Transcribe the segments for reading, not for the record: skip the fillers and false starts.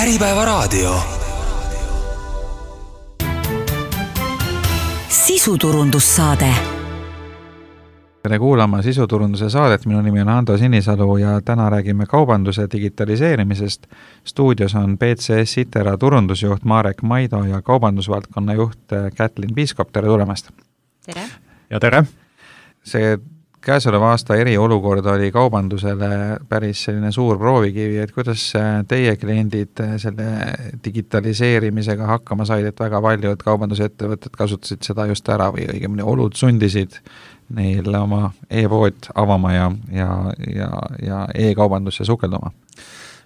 Äripäevaraadio. Sisuturundussaade. Tere kuulama sisuturunduse saadet, minu nimi on Ando Sinisalu ja täna räägime kaubanduse digitaliseerimisest. Stuudios on PCS Itera turundusjuht Marek Maido ja kaubandusvaldkonna juht Kätlin Piiskop. Tere tulemast! Tere! Ja tere! See käesoleva aasta eriolukord oli kaubandusele päris selline suur proovikivi, et kuidas teie kliendid selle digitaliseerimisega hakkama said, et väga paljud kaubandusettevõtted kasutasid seda just ära või õigemini olud sundisid neil oma e-pood avama ja e-kaubandusse sukelduma?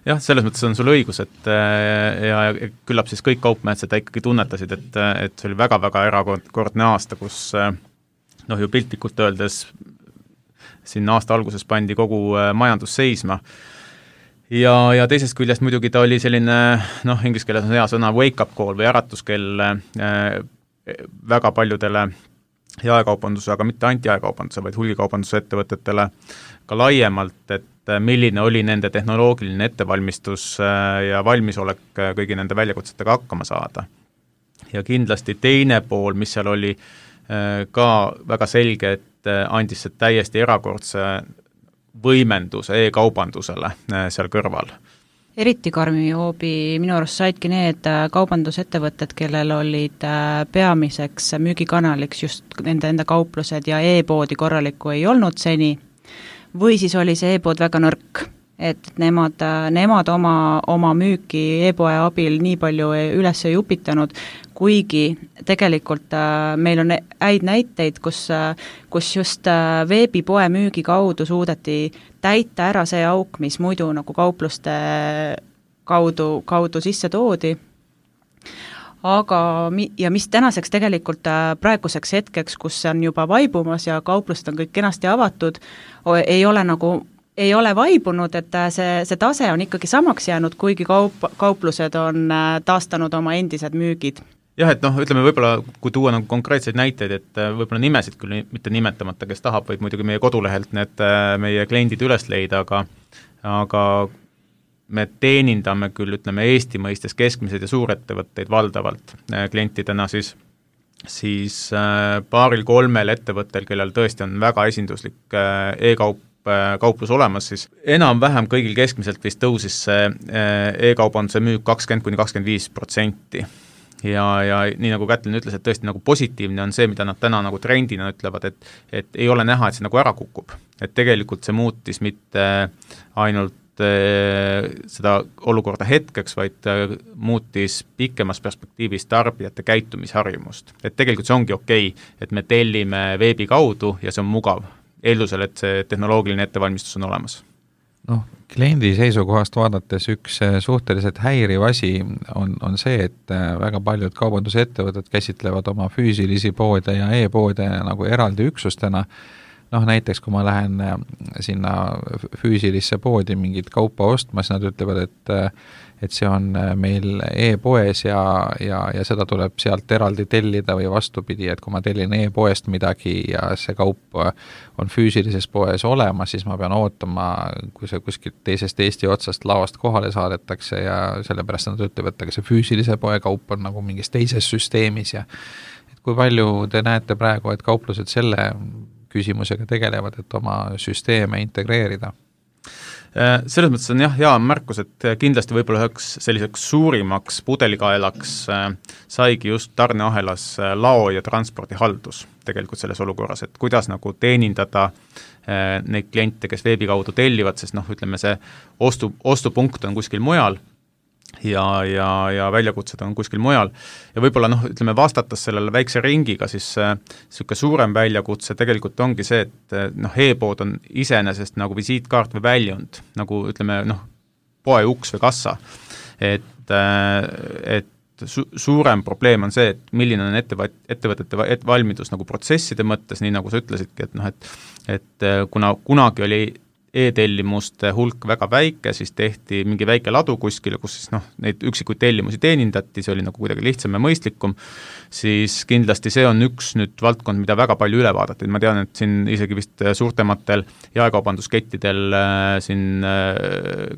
Jah, selles mõttes on sul õigus, et ja küllap siis kõik kaupmehed seda ikkagi tunnetasid, et see oli väga-väga erakordne aasta, kus ju piltlikult öeldes siin aasta alguses pandi kogu majandus seisma. Ja teisest küljest muidugi ta oli selline, inglise keeles on hea sõna wake-up call või äratuskell väga paljudele jaekaubanduse, aga mitte anti-jaekaubanduse, vaid hulgikaubanduse ettevõtetele ka laiemalt, et milline oli nende tehnoloogiline ettevalmistus ja valmisolek kõigi nende väljakutsetega hakkama saada. Ja kindlasti teine pool, mis seal oli ka väga selge, et andis see täiesti erakordse võimenduse e-kaubandusele seal kõrval. Eriti karmi hoobi minu arust saidki need kaubandusettevõtted, kellel olid peamiseks müügikanaliks just nende enda kauplused ja e-poodi korralikku ei olnud seni, või siis oli see e-pood väga nõrk, et nemad oma müüki e-poe abil nii palju üles ei upitanud, kuigi tegelikult meil on häid näiteid, kus just veebipoe müügi kaudu suudeti täita ära see auk, mis muidu nagu kaupluste kaudu sisse toodi. Aga mis tänaseks tegelikult praeguseks hetkeks, kus see on juba vaibumas ja kauplused on kõik kenasti avatud, ei ole vaibunud, et see tase on ikkagi samaks jäänud, kuigi kauplused on taastanud oma endised müügid. Jah, et ütleme võib-olla, kui tuua konkreetseid näiteid, et võib-olla nimesid küll mitte nimetamata, kes tahab, võib muidugi meie kodulehelt need meie kliendid üles leida, aga me teenindame küll, ütleme, Eesti mõistes keskmiseid ja suurettevõtteid valdavalt klientidena siis paaril-kolmel ettevõttel, kellel tõesti on väga esinduslik kauplus olemas, siis enam-vähem kõigil keskmiselt vist tõusis see e-kaubanduse müük 20–25%. Ja nii nagu Kätlin ütles, et tõesti nagu positiivne on see, mida nad täna nagu trendina ütlevad, et ei ole näha, et see nagu ära kukub. Et tegelikult see muutis mitte ainult seda olukorda hetkeks, vaid muutis pikemas perspektiivis tarbijate käitumisharjumust. Et tegelikult see ongi okei, et me tellime veebi kaudu ja see on mugav, eeldusel, et see tehnoloogiline ettevalmistus on olemas. Kliendi seisukohast vaadates üks suhteliselt häiriv asi on see, et väga paljud kaubandusettevõtted käsitlevad oma füüsilisi poode ja e-poode nagu eraldi üksustena. Näiteks kui ma lähen sinna füüsilisse poodi mingit kaupa ostma, siis nad ütlevad, et see on meil e-poes ja seda tuleb sealt eraldi tellida või vastupidi, et kui ma tellin e-poest midagi ja see kaup on füüsilises poes olemas, siis ma pean ootama, kui see kuskilt teisest Eesti otsast laost kohale saadetakse ja sellepärast nad ütlevad, et see füüsilise poe kaup on nagu mingis teises süsteemis ja et kui palju te näete praegu, et kauplused selle küsimusega tegelevad, et oma süsteeme integreerida? Selles mõttes on hea märkus, et kindlasti võib-olla üheks selliseks suurimaks pudelikaelaks saigi just tarneahelas lao ja transpordihaldus tegelikult selles olukorras, et kuidas nagu teenindada neid kliente, kes veebi kaudu tellivad, sest ütleme see ostupunkt on kuskil mujal ja väljakutsed on kuskil mujal. Ja võib-olla ütleme vastates sellele väikse ringiga, siis selline suurem väljakutse tegelikult ongi see, et e-pood on iseenesest nagu visiitkaart või väljund, nagu ütleme poe uks või kassa. Et suurem probleem on see, et milline on ettevõtete valmidus nagu protsesside mõttes, nii nagu sa ütlesidki, et kuna kunagi oli e-tellimuste hulk väga väike, siis tehti mingi väike ladu kuskile, kus siis neid üksikuid tellimusi teenindati, see oli nagu kuidagi lihtsam ja mõistlikum, siis kindlasti see on üks nüüd valdkond, mida väga palju üle vaadati. Ma tean, et siin isegi vist suurtematel jaekaubanduskettidel siin,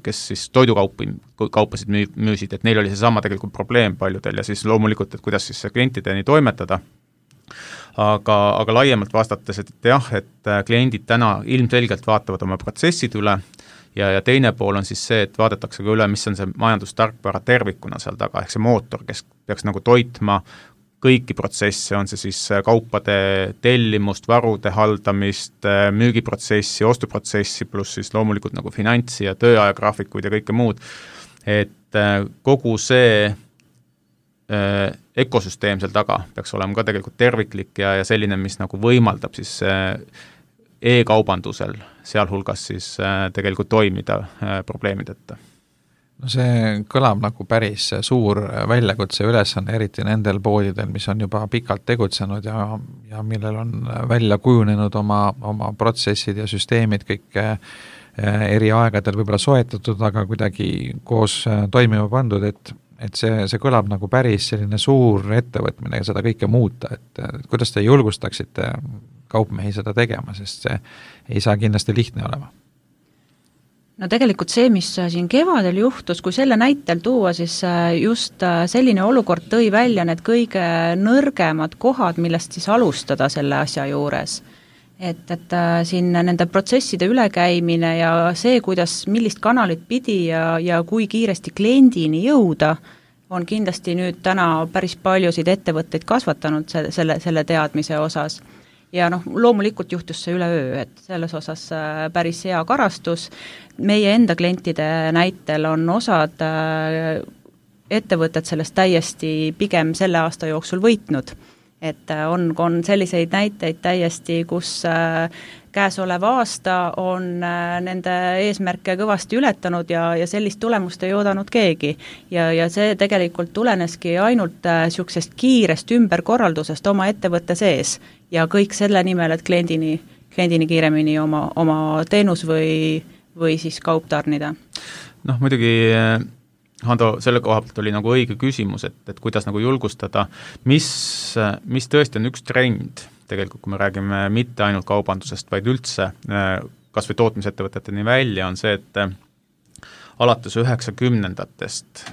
kes siis toidukaupasid müüsid, et neil oli seesama tegelikult probleem paljudel ja siis loomulikult, et kuidas siis klientideni toimetada. Aga laiemalt vastates, et jah, et kliendid täna ilmselgelt vaatavad oma protsessid üle ja teine pool on siis see, et vaadatakse ka üle, mis on see majandustarkvara tervikuna seal taga, ehk see mootor, kes peaks nagu toitma kõiki protsesse, on see siis kaupade tellimust, varude haldamist, müügiprotsessi, ostuprotsessi, pluss siis loomulikult nagu finantsi ja tööajagraafikuid ja kõike muud, et kogu see ökosüsteem seal taga peaks olema ka tegelikult terviklik ja selline, mis nagu võimaldab siis e-kaubandusel sealhulgas siis tegelikult toimida probleemideta. No see kõlab nagu päris suur väljakutse ülesanne, eriti nendel poodidel, mis on juba pikalt tegutsenud ja millel on välja kujunenud oma protsessid ja süsteemid kõik eri aegadel võib-olla soetatud, aga kuidagi koos toimima pandud, et see kõlab nagu päris selline suur ettevõtmine ja seda kõike muuta, et kuidas te julgustaksite kaupmehi seda tegema, sest see ei saa kindlasti lihtne olema? No tegelikult see, mis siin kevadel juhtus, kui selle näitel tuua, siis just selline olukord tõi välja need kõige nõrgemad kohad, millest siis alustada selle asja juures. Et siin nende protsesside ülekäimine ja see, millist kanalit pidi ja kui kiiresti kliendini jõuda, on kindlasti nüüd täna päris paljusid ettevõtteid kasvatanud selle teadmise osas. Ja loomulikult juhtus see üleöö, et selles osas päris hea karastus. Meie enda klientide näitel on osad ettevõtted sellest täiesti pigem selle aasta jooksul võitnud. Et on selliseid näiteid täiesti, kus käesolev aasta on nende eesmärke kõvasti ületanud ja sellist tulemust ei oodanud keegi. Ja see tegelikult tuleneski ainult niisugusest kiirest ümberkorraldusest oma ettevõtte sees ja kõik selle nimel, et kliendini kiiremini oma teenus või siis kaup tarnida. Muidugi Hando, selle koha pealt oli nagu õige küsimus, et kuidas nagu julgustada, mis tõesti on üks trend, tegelikult kui me räägime mitte ainult kaubandusest, vaid üldse kas või tootmisettevõteteni välja, on see, et alates 90-ndatest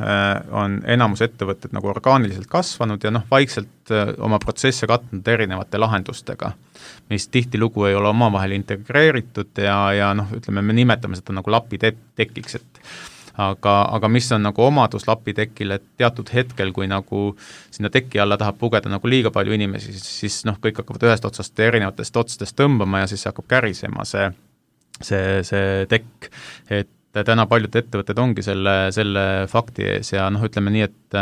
on enamus ettevõtted nagu orgaaniliselt kasvanud ja vaikselt oma protsesse katnud erinevate lahendustega, mis tihtilugu ei ole omavahel integreeritud ja ütleme, me nimetame seda nagu lapitekiks, aga mis on nagu omadus lapitekil, et teatud hetkel, kui nagu sinna teki alla tahab pugeda nagu liiga palju inimesi, siis kõik hakkavad ühest otsast erinevatest otstest tõmbama ja siis hakkab kärisema see tekk. Et täna paljud ettevõtted ongi selle fakti ees ja ütleme nii, et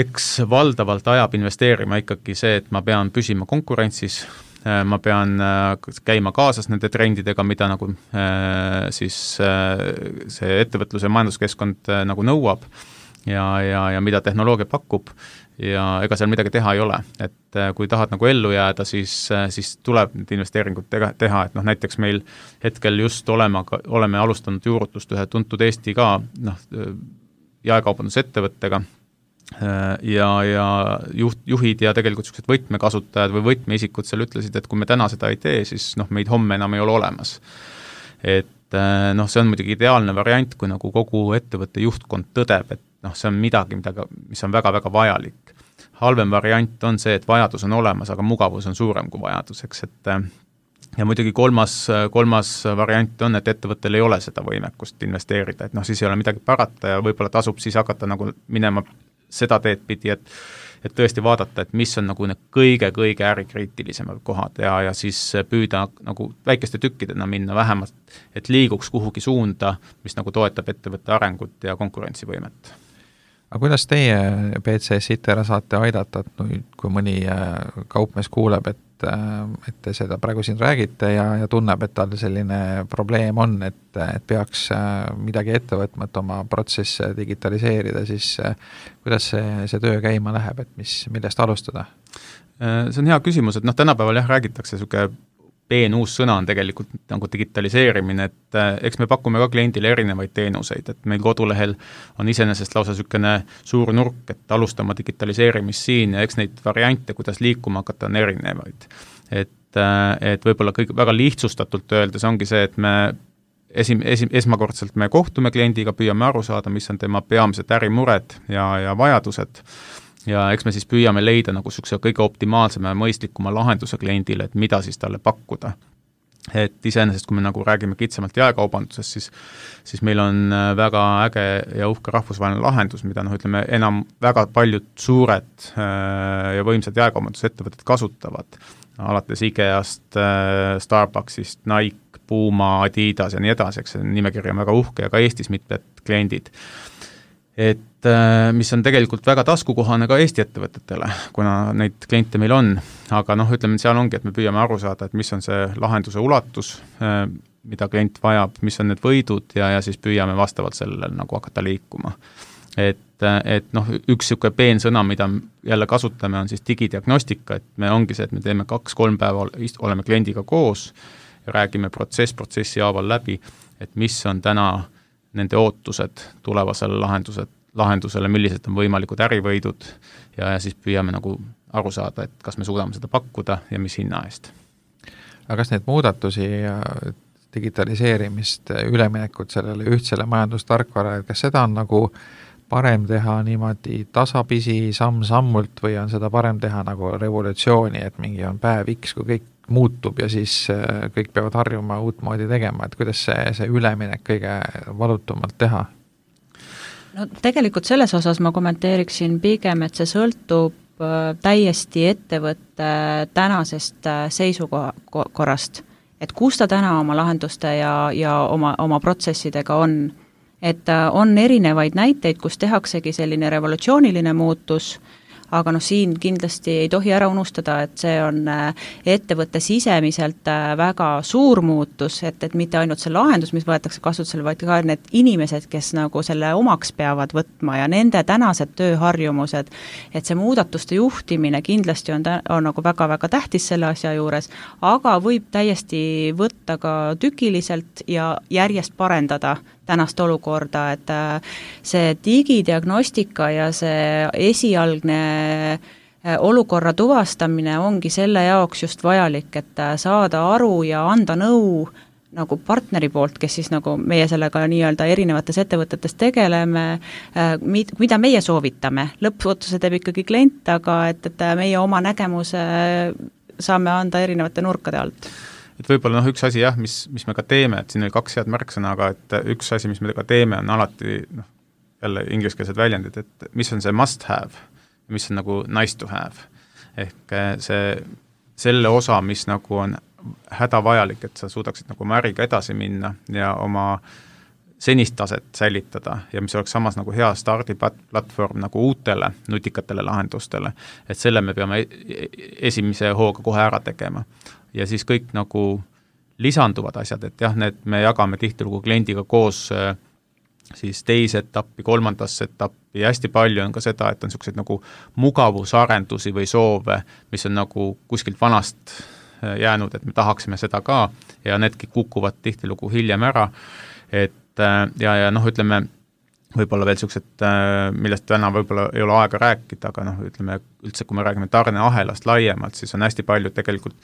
eks valdavalt ajab investeerima ikkagi see, et ma pean püsima konkurentsis, ma pean käima kaasas nende trendidega, mida nagu siis see ettevõtluse ja majanduskeskkond nagu nõuab ja mida tehnoloogia pakub ja ega seal midagi teha ei ole. Et kui tahad nagu ellu jääda, siis tuleb need investeeringud teha, et näiteks meil hetkel just oleme alustanud juurutust ühe tuntud Eesti ka jaekaubandusettevõttega, ja juhid ja tegelikult sellised võtmekasutajad või võtmeisikud seal ütlesid, et kui me täna seda ei tee, siis meid homme enam ei ole olemas. Et see on muidugi ideaalne variant, kui nagu kogu ettevõtte juhtkond tõdeb, et see on midagi, mis on väga-väga vajalik. Halvem variant on see, et vajadus on olemas, aga mugavus on suurem kui vajaduseks, et ja muidugi kolmas variant on, et ettevõttel ei ole seda võimekust investeerida, et siis ei ole midagi parata ja võib-olla tasub siis hakata nagu minema seda teed pidi, et tõesti vaadata, et mis on nagu need kõige-kõige ärikriitilisemad kohad ja siis püüda nagu väikeste tükkidena minna vähemalt, et liiguks kuhugi suunda, mis nagu toetab ettevõtte arengut ja konkurentsivõimet. Aga kuidas teie PCS ITERA saate aidata, et nüüd, kui mõni kaupmees kuuleb, et te seda praegu siin räägite ja tunneb, et tal selline probleem on, et peaks midagi ette võtma, et oma protsesse digitaliseerida, siis kuidas see töö käima läheb, et millest alustada? See on hea küsimus, et tänapäeval räägitakse uus sõna on tegelikult nagu digitaliseerimine, et eks me pakume ka kliendile erinevaid teenuseid, et meil kodulehel on iseenesest lausa niisugune suur nurk, et alustama digitaliseerimist siin ja eks neid variante, kuidas liikuma hakata, on erinevaid. Et võib-olla kõik väga lihtsustatult öeldes ongi see, et me esmakordselt me kohtume kliendiga, püüame aru saada, mis on tema peamised ärimured ja vajadused, ja eks me siis püüame leida nagu niisuguse kõige optimaalsema ja mõistlikuma lahenduse kliendile, et mida siis talle pakkuda. Et iseenesest, kui me nagu räägime kitsamalt jaekaubandusest, siis meil on väga äge ja uhke rahvusvaheline lahendus, mida ütleme, enam väga paljud suured ja võimsad jaekaubandusettevõtted kasutavad, alates IKEA-st, Starbucksist, Nike, Puma, Adidas ja nii edasi, eks see nimekiri on väga uhke ja ka Eestis mitmed kliendid. Et mis on tegelikult väga taskukohane ka Eesti ettevõtetele, kuna neid kliente meil on, aga ütleme, seal ongi, et me püüame aru saada, et mis on see lahenduse ulatus, mida klient vajab, mis on need võidud ja siis püüame vastavalt sellele nagu hakata liikuma. Et üks niisugune peensõna, mida jälle kasutame, on siis digidiagnostika, et me ongi see, et me teeme 2-3 päeva, oleme kliendiga koos ja räägime protsessi haaval läbi, et mis on täna nende ootused tulevasele lahendusele, millised on võimalikud ärivõidud ja siis püüame nagu aru saada, et kas me suudame seda pakkuda ja mis hinna eest. Aga kas neid muudatusi ja digitaliseerimist, üleminekut sellele ühtsele majandustarkvara, kas seda on nagu parem teha niimoodi tasapisi, samm-sammult või on seda parem teha nagu revolutsiooni, et mingi on päev X, kui kõik muutub ja siis kõik peavad harjuma uut moodi tegema, et kuidas see üleminek kõige valutumalt teha? No tegelikult selles osas ma kommenteeriksin pigem, et see sõltub täiesti ettevõtte tänasest seisukorrast, et kus ta täna oma lahenduste ja oma protsessidega on. Et on erinevaid näiteid, kus tehaksegi selline revolutsiooniline muutus, aga siin kindlasti ei tohi ära unustada, et see on ettevõtte sisemiselt väga suur muutus, et mitte ainult see lahendus, mis võetakse kasutusele, vaid ka need inimesed, kes nagu selle omaks peavad võtma ja nende tänased tööharjumused, et see muudatuste juhtimine kindlasti on nagu väga-väga tähtis selle asja juures, aga võib täiesti võtta ka tükiliselt ja järjest parendada tänast olukorda, et see digidiagnostika ja see esialgne olukorra tuvastamine ongi selle jaoks just vajalik, et saada aru ja anda nõu nagu partneri poolt, kes siis nagu meie sellega nii-öelda erinevates ettevõtetes tegeleme, mida meie soovitame. Lõppotsuse teeb ikkagi klient, aga et meie oma nägemuse saame anda erinevate nurkade alt. Et võib-olla üks asi jah, mis me ka teeme, et siin oli 2 head märksõna, aga et üks asi, mis me ka teeme, on alati jälle ingliskeelsed väljendid, et mis on see must have ja mis on nagu nice to have. Ehk selle osa, mis nagu on hädavajalik, et sa suudaksid nagu oma äriga edasi minna ja oma senist taset säilitada ja mis oleks samas nagu hea stardiplatvorm nagu uutele nutikatele lahendustele, et selle me peame esimese hooga kohe ära tegema. Ja siis kõik nagu lisanduvad asjad, et jah, need me jagame tihtilugu kliendiga koos siis teise etappi, 3. etappi ja hästi palju on ka seda, et on niisugused nagu mugavusarendusi või soove, mis on nagu kuskilt vanast jäänud, et me tahaksime seda ka ja needki kukuvad tihtilugu hiljem ära, et ja ütleme, võib-olla veel niisugused, millest täna võib-olla ei ole aega rääkida, aga ütleme, üldse kui me räägime tarneahelast laiemalt, siis on hästi palju tegelikult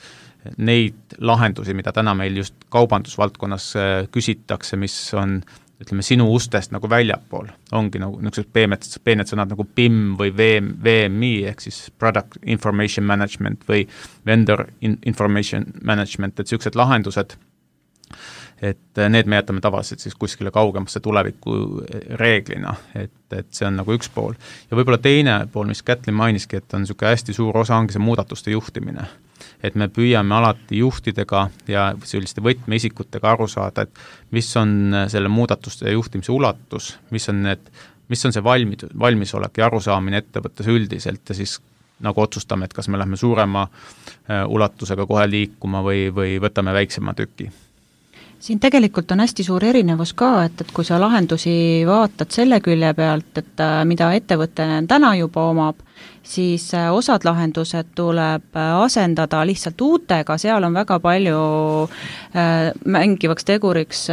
neid lahendusi, mida täna meil just kaubandusvaldkonnas küsitakse, mis on, ütleme, sinu ustest nagu väljapool. Ongi nagu niisugused peened sõnad nagu PIM või VMI, ehk siis Product Information Management või Vendor Information Management, et niisugused lahendused, et need me jätame tavaliselt siis kuskile kaugemasse tuleviku reeglina, et see on nagu üks pool. Ja võib-olla teine pool, mis Kätlin mainiski, et on niisugune hästi suur osa ongi see muudatuste juhtimine. Et me püüame alati juhtidega ja selliste võtmeisikutega aru saada, et mis on selle muudatuste juhtimise ulatus, mis on see valmisolek ja arusaamine ettevõttes üldiselt ja siis nagu otsustame, et kas me lähme suurema ulatusega kohe liikuma või võtame väiksema tüki. siin tegelikult on hästi suur erinevus ka, et kui sa lahendusi vaatad selle külje pealt, et mida ettevõte täna juba omab, siis osad lahendused tuleb asendada lihtsalt uutega, seal on väga palju mängivaks teguriks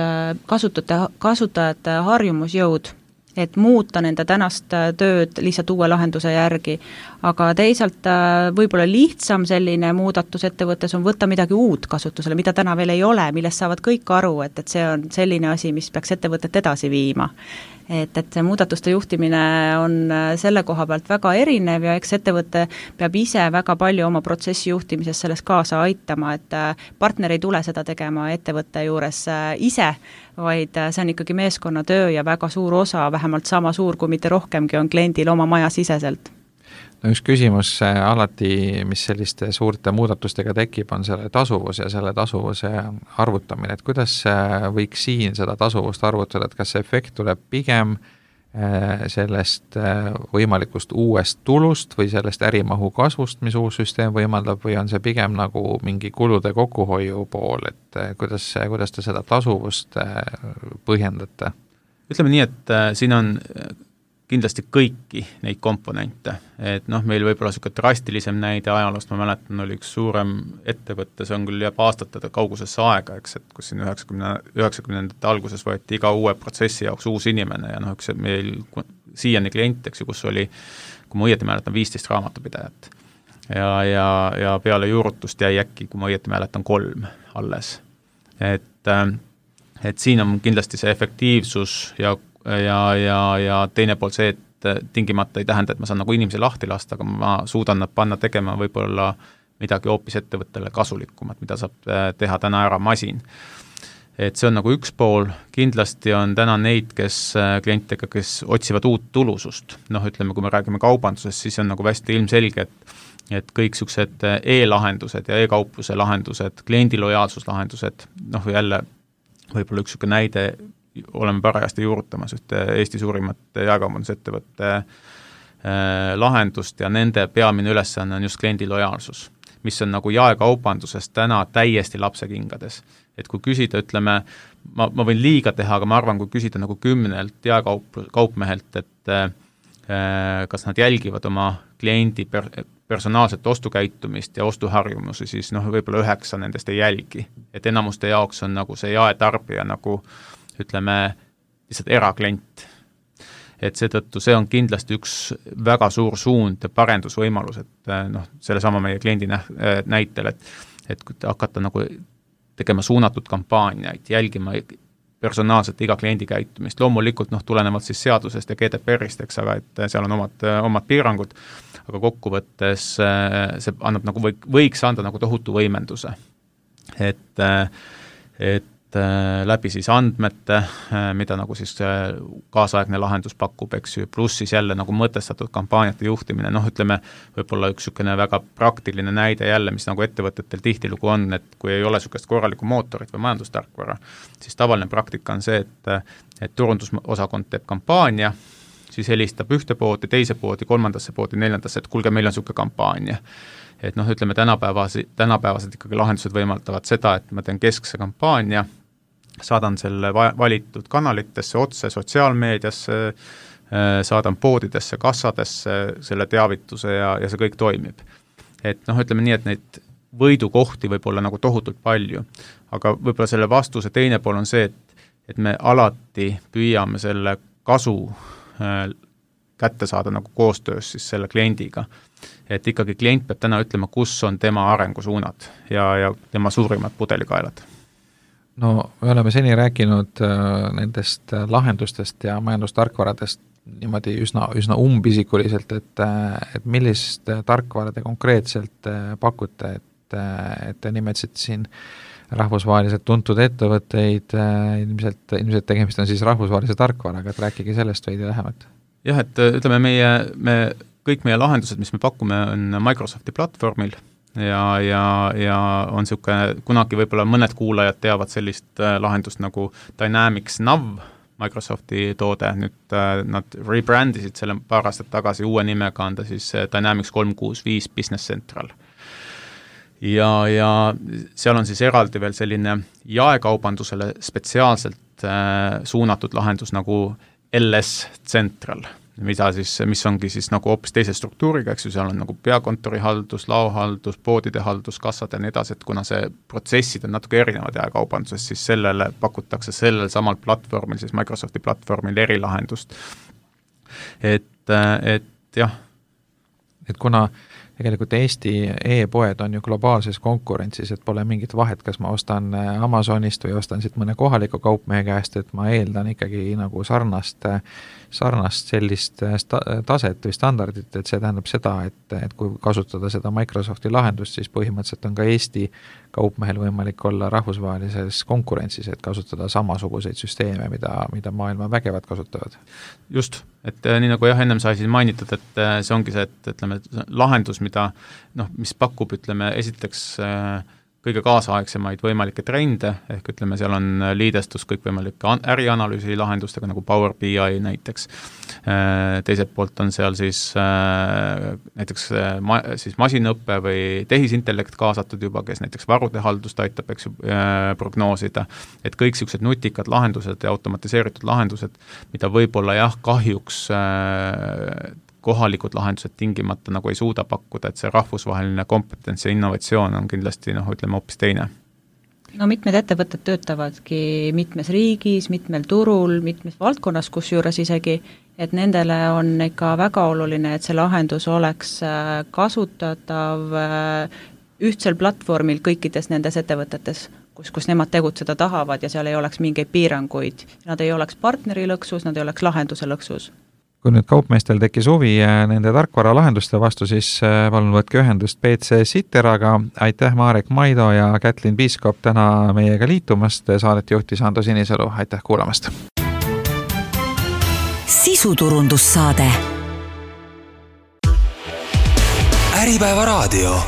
kasutajate harjumusjõud, et muuta nende tänast tööd lihtsalt uue lahenduse järgi. Aga teisalt võib-olla lihtsam selline muudatus ettevõttes on võtta midagi uut kasutusele, mida täna veel ei ole, millest saavad kõik aru, et see on selline asi, mis peaks ettevõtet edasi viima. Et see muudatuste juhtimine on selle koha pealt väga erinev ja eks ettevõte peab ise väga palju oma protsessi juhtimises selles kaasa aitama, et partner ei tule seda tegema ettevõtte juures ise, vaid see on ikkagi meeskonnatöö ja väga suur osa, vähemalt sama suur kui mitte rohkemgi on kliendil oma maja siseselt. No üks küsimus alati, mis selliste suurte muudatustega tekib, on selle tasuvus ja selle tasuvuse arvutamine, et kuidas võiks siin seda tasuvust arvutada, et kas see efekt tuleb pigem sellest võimalikust uuest tulust või sellest ärimahu kasvust, mis uus süsteem võimaldab, või on see pigem nagu mingi kulude kokkuhoiu pool, et kuidas te seda tasuvust põhjendate? Ütleme nii, et siin on kindlasti kõiki neid komponente, et meil võib-olla selline drastilisem näide ajaloost, ma mäletan, oli üks suurem ettevõtte, see on küll jääb aastate kaugusesse aega, eks, et kus siin 90ndate alguses võeti iga uue protsessi jaoks uus inimene ja üks meil siiani klient, eks ju, kus oli, kui ma õieti mäletan, 15 raamatupidajat ja peale juurutust jäi äkki, kui ma õieti mäletan, 3 alles. Et siin on kindlasti see efektiivsus ja teine pool see, et tingimata ei tähenda, et ma saan nagu inimesi lahti lasta, aga ma suudan nad panna tegema võib-olla midagi hoopis ettevõttele kasulikumat, mida saab teha täna ära masin. Et see on nagu üks pool, kindlasti on täna neid, klientidega, kes otsivad uut tulusust. Ütleme, kui me räägime kaubandusest, siis on nagu hästi ilmselge, et kõik sellised e-lahendused ja e-kaupluse lahendused, kliendi lojaalsuslahendused, jälle võib-olla üks näide, oleme parajasti juurutamas ühte Eesti suurimat jaekaubandusettevõtte lahendust ja nende peamine ülesanne on just kliendi lojaalsus, mis on nagu jaekaubanduses täna täiesti lapsekingades. Et kui küsida, ütleme, ma võin liiga teha, aga ma arvan, kui küsida nagu 10 jaekaupmehelt, et kas nad jälgivad oma kliendi personaalset ostukäitumist ja ostuharjumusi, siis võib-olla 9 nendest ei jälgi. Et enamuste jaoks on nagu see jaetarbija nagu ütleme, lihtsalt eraklient. Et seetõttu see on kindlasti üks väga suur suund ja parendusvõimalus, et selle sama meie kliendi näitel, et kui hakata nagu tegema suunatud kampaaniaid, jälgima personaalselt iga kliendi käitumist, loomulikult tulenevalt siis seadusest ja GDPR-ist, eks, aga et seal on omad piirangud, aga kokkuvõttes see annab nagu võiks anda nagu tohutu võimenduse. Et läbi siis andmete, mida nagu siis kaasaegne lahendus pakub, eks ju, pluss siis jälle nagu mõtestatud kampaaniate juhtimine, ütleme, võib-olla üks niisugune väga praktiline näide jälle, mis nagu ettevõtetel tihtilugu on, et kui ei ole niisugust korralikku mootorit või majandustarkvara, siis tavaline praktika on see, et turundusosakond teeb kampaania, siis helistab ühte poodi, teise poodi, kolmandasse poodi, neljandasse, et kuulge, meil on niisugune kampaania. Et ütleme, tänapäevased ikkagi lahendused võimaldavad seda, et ma teen keskse kampaania, saadan selle valitud kanalitesse otse sotsiaalmeediasse, saadan poodidesse, kassadesse selle teavituse ja see kõik toimib. Et ütleme nii, et neid võidukohti võib olla nagu tohutult palju, aga võib-olla selle vastuse teine pool on see, et me alati püüame selle kasu kätte saada nagu koostöös siis selle kliendiga. Et ikkagi klient peab täna ütlema, kus on tema arengusuunad ja tema suurimad pudelikaelad. No me oleme seni rääkinud nendest lahendustest ja majandustarkvaradest niimoodi üsna umbisikuliselt, et millist tarkvara te konkreetselt pakute, et te nimetasite siin rahvusvaheliselt tuntud ettevõtteid, ilmselt tegemist on siis rahvusvahelise tarkvaraga, et rääkige sellest veidi lähemalt. Jah, et ütleme, kõik meie lahendused, mis me pakume, on Microsofti platvormil ja on niisugune, kunagi võib-olla mõned kuulajad teavad sellist lahendust nagu Dynamics Nav, Microsofti toode, nüüd nad rebrandisid selle paar aastat tagasi uue nimega, on ta siis Dynamics 365 Business Central. ja seal on siis eraldi veel selline jaekaubandusele spetsiaalselt suunatud lahendus nagu LS Central, mis ongi siis nagu hoopis teise struktuuriga, eks ju, seal on nagu peakontori haldus, laohaldus, poodide haldus, kassad ja nii edasi, et kuna see protsessid on natuke erinevad jaekaubanduses, siis sellele pakutakse sellel samal platvormil, siis Microsofti platvormil erilahendust. Et jah. Et kuna tegelikult Eesti e-poed on ju globaalses konkurentsis, et pole mingit vahet, kas ma ostan Amazonist või ostan siit mõne kohaliku kaupmehe käest, et ma eeldan ikkagi nagu sarnast sellist taset või standardit, et see tähendab seda, et kui kasutada seda Microsofti lahendust, siis põhimõtteliselt on ka Eesti kaupmehel võimalik olla rahvusvahelises konkurentsis, et kasutada samasuguseid süsteeme, mida maailma vägevad kasutavad. Just, et nii nagu ennem sai siin mainitud, et see ongi see, et ütleme, lahendus, mis pakub, esiteks kõige kaasaegsemaid võimalikke trende, ehk ütleme, seal on liidestus kõikvõimalike ärianalüüsi lahendustega, nagu Power BI näiteks. Teiselt poolt on seal siis näiteks siis masinõppe või tehisintellekt kaasatud juba, kes näiteks varude haldust aitab, eks ju, prognoosida, et kõik sellised nutikad lahendused ja automatiseeritud lahendused, mida võib-olla jah, kahjuks kohalikud lahendused tingimata nagu ei suuda pakkuda, et see rahvusvaheline kompetents ja innovatsioon on kindlasti, hoopis teine. No mitmed ettevõtted töötavadki mitmes riigis, mitmel turul, mitmes valdkonnas, kusjuures isegi, et nendele on ikka väga oluline, et see lahendus oleks kasutatav ühtsel platvormil kõikides nendes ettevõtetes, kus nemad tegutseda tahavad ja seal ei oleks mingeid piiranguid. Nad ei oleks partneri lõksus, nad ei oleks lahenduse lõksus. Kui nüüd kaupmeestel tekkis huvi nende tarkvara lahenduste vastu, siis palun võtke ühendust PC Siteraga. Aitäh Marek Maido ja Kätlin Piiskop täna meiega liitumast. Saadet juhtis Ando Sinisalu. Aitäh kuulamast. Sisuturundussaade. Äripäeva raadio.